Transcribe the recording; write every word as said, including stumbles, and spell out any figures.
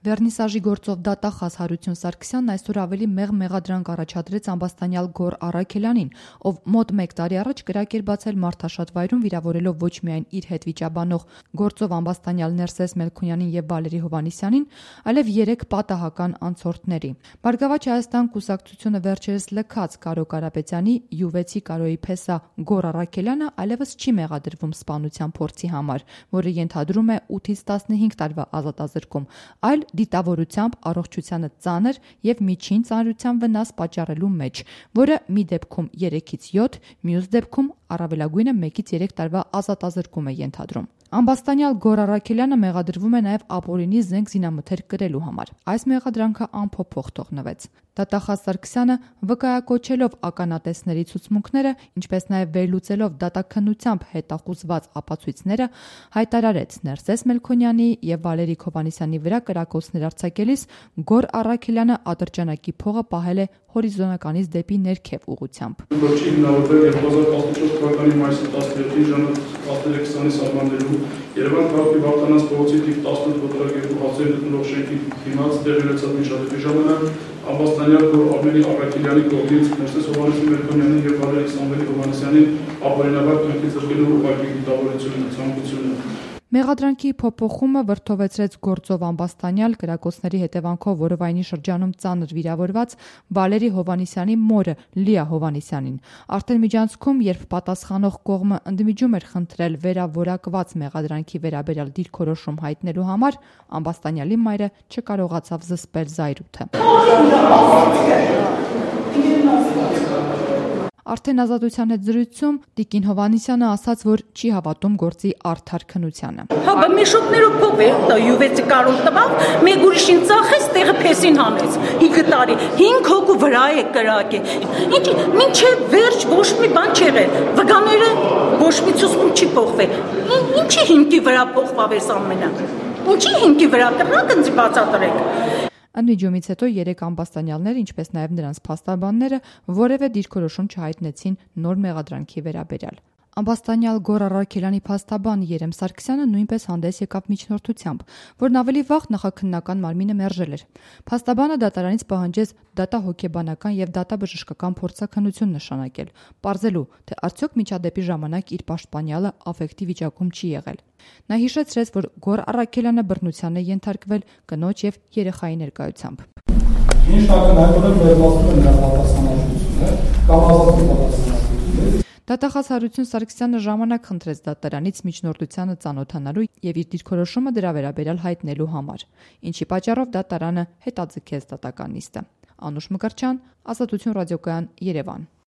Վերնիսաժի գործով դատախազ Հարություն Սարգսյանն այսօր ավելի մեղմ մեղադրանք առաջադրեց ամբաստանյալ Գոռ Առաքելյանին, ով մոտ մեկ տարի առաջ կրակ էր բացել Մարդաշատ վայրում, վիրավորելով ոչ միայն իր հետ վիճաբանող գործով ամբաստանյալ Ներսես Մելքոնյանին եւ Վալերի Հովհաննիսյանին, այլև երեք պատահական անցորդների։ Բարգավաճ Հայաստան կուսակցությունը վերջերս լքած Կարո Կարապետյանի յուվեցի Կարոյի փեսա Գոռ Առաքելյանը այլևս չի մեղադրվում սպանության փորձի համար, որը ենթադրում է ութից տասնհինգ տարվա ազատազրկում, այլ դիտավորությամբ առողջությանը ծանր եւ միջին ծանրության վնաս պատճառելու մեջ, որը մի դեպքում երեքից յոթ, մյուս դեպքում առավելագույնը մեկից երեք տարվա ազատազրկում է ենթադրում։ Ամբաստանյալ Գոռ Առաքելյանը մեղադրվում է նաև ապօրինի զենք զինամթերք կրելու համար։ Այս մեղադրանքը անփոփոխ թողնվեց։ Դատախազ Սարգսյանը վկայակոչելով ականատեսների ցուցմունքները, ինչպես նաև վերլուծելով դատաքննությամբ հետախուզված ապացույցները, հայտարարեց Ներսես Մելքոնյանի եւ Վալերի Հովհաննիսյանի վրա կրակոցներ արձակելիս Գոռ Առաքելյանը ատրճանակի փողը պահել է հորիզոնականից դեպի ներքև ուղղությամբ։ Վերջին հիմնավորվել երկու հազար տասնչորս թվականի մայիսի տասներեքին ժամը տասներեք քսանի սահմաններում Երևան քաղաքի Վարդանանց փողոցի թիվ տասնութ փոթորակերու հացեր գտնվող շենքի դիմաց տեղի ունեցած միջադեպի ժամանակ ամբաստանյալ Գոռ Առաքելյանի կողմից Ներսես Մելքոնյանի եւ Վալերի Հովհաննիսյանի ապօրինաբար կյանքի զրկելու ուղղակի դիտավորությունը, ցանկությունը։ Մեղադրանքի փոփոխումը վրդովեցրեց գործով ամբաստանյալ կրակոցների հետևանքով Որովայնի շրջանում ծանր վիրավորված Վալերի Հովհաննիսյանի մորը Լիա Հովհաննիսյանին։ Արդեն միջանցքում, երբ պատասխանող կողմը ընդմիջում էր խնդրել վերավորակված մեղադրանքի վերաբերյալ դիրքորոշում հայտնելու համար, ամբաստանյալի մայրը չկարողացավ զսպել զայրույթը։ Արդեն ազատության հետ զրույցում Տիկին Հովհաննիսյանը ասաց, որ չի հավատում գործի արդար քննությանը։ Հա, միշոտներով փոխվի, դա յուվեցի կարոն տվավ, մեկ ուրիշին ծախեց, տեղը փեսին հանեց։ հինգ տարի, հինգ հոգու վրա է կրակը։ Ինչ, մինչև վերջ ոչ մի բան չի եղել։ Վգաները ոչ մի ցուցում չի փոխվել։ Ինչի հիմքի վրա փոխվավ այս ամենը։ Ինչի հիմքի վրա կրակը ինձ բացատրեք։ Ընդմիջումից հետո երեք ամբաստանյալները, ինչպես նաև նրանց փաստաբանները, որևէ դիրքորոշում չհայտնեցին նոր մեղադրանքի վերաբերյալ։ Ամբաստանյալ Գոռ Առաքելյանի փաստաբան Երեմ Սարգսյանը նույնպես հանդես եկավ միջնորդությամբ, որն ավելի վաղ նախաքննական մարմինը մերժել էր։ Փաստաբանը դատարանից պահանջեց դատահոգեբանական եւ դատաբժշկական փորձաքննություն նշանակել, պարզելու, թե արդյոք միջադեպի ժամանակ իր պաշտպանյալը աֆեկտի վիճակում չի եղել։ Նա հիշեցրեց, որ Գոռ Առաքելյանը բռնության է ենթարկվել կնոջ եւ երեխայի ներկայությամբ։ Ինչ ակնհայտորեն վերլուծում են նրա պատասխանատվությունը կամ ազատում պատասխանատվությունը։ Դատախազ Հարություն Սարգսյանը ժամանակ խնդրեց դատարանից միջնորդությանը ծանոթանալու եւ իր դիրքորոշումը դրա վերաբերյալ հայտնելու համար, ինչի պատճառով դատարանը հետաձգեց դատական նիստը։ Անուշ Մկրտչյան, Ազատություն ռադիոկայան, Երևան։